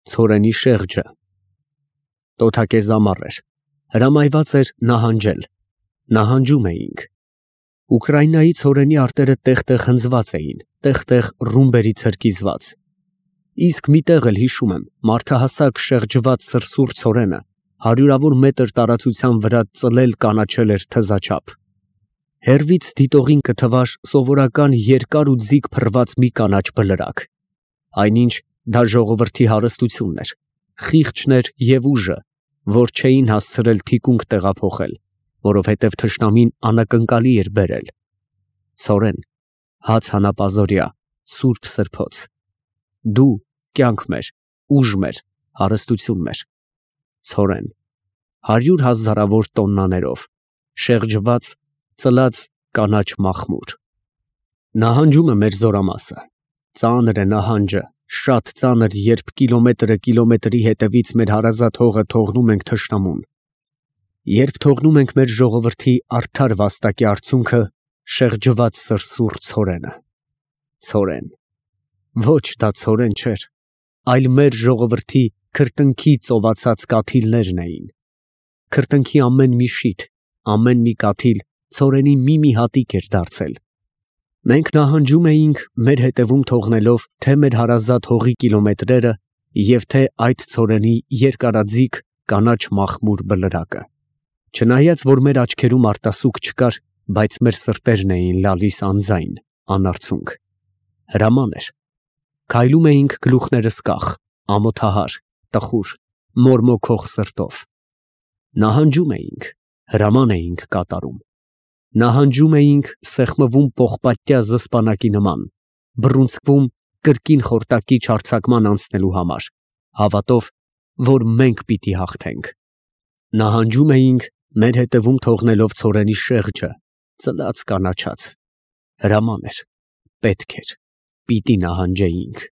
Ցորենի շեղջը։ Տոթակեզ ամառ էր, հրամայված էր նահանջել, նահանջում էինք։ Ուկրաինայի ցորենի արտերը տեղ-տեղ հնձված էին, տեղ-տեղ ռումբերի ցրկիզված։ Իսկ մի տեղ էլ հիշում եմ, մարդահասակ շեղջված սրսուռ ցորենը հարյուրավոր մետր տարածության վրա ծլել կանաչել էր թզաչափ։ Հեռվից դիտողին կթվար սովորական երկար ու ձիգ փռված մի կանաչ բլրակ։ Այնինչ դա ժողովրդի հարստությունն էր, խիղճն էր և ուժը, որ չէին հասցրել թիկունք տեղափոխել, որովհետև թշնամին անակնկալի էր բերել։ Ցորեն, հաց հանապազօրյա, սուրբ սրբոց։ Դու կյանք մեր, ուժ մեր, հարստություն մեր։ Ցորեն, 100 հազարավոր տոննաներով, շեղջված, ծլած կանաչ մախմուր։ Նահանջում է մեր զորամասը։ Ծանր է նահանջը, շատ ծանր, երբ կիլոմետրը կիլոմետրի հետևից մեր հարազատ հողը թողնում ենք թշնամուն։ Երբ թողնում ենք մեր ժողովրդի արդար վաստակի արդյունքը, շեղջված սրսուռ ցորենը։ Ցորեն, ոչ դա ցորեն չէր, այլ մեր ժողովրդի քրտինքի ծովածած կաթիլներն էին։ Քրտինքի ամեն մի շիթ, ամեն մի կաթիլ ցորենի մի հատիկ էր դարձել։ Մենք նահանջում էինք, մեր հետևում թողնելով թե մեր հարազատ հողի կիլոմետրերը և թե այդ ցորենի երկարաձիգ կանաչ մախմուր բլրակը։ Չնայած որ մեր աչքերում արտասուք չկար, բայց մեր սրտերն էին լալիս անձայն, անարցունք։ Հրաման էր։ Քայլում էինք գլուխներս կախ, ամոթահար, տխուր, մորմոքող սրտով։ Նահանջում էինք, հրաման էինք կատարում։ Նահանջում էինք սեղմվում պողպատյա զսպանակի նման, բռունցքվում կրկին խորտակի չարձակման անցնելու համար, հավատով, որ մենք պիտի հաղթենք։ Նահանջում էինք, մեր հետևում թողնելով ցորենի շեղջը, ծլած կանաչած։ Հրաման էր, պետք էր, պիտի նահանջեինք։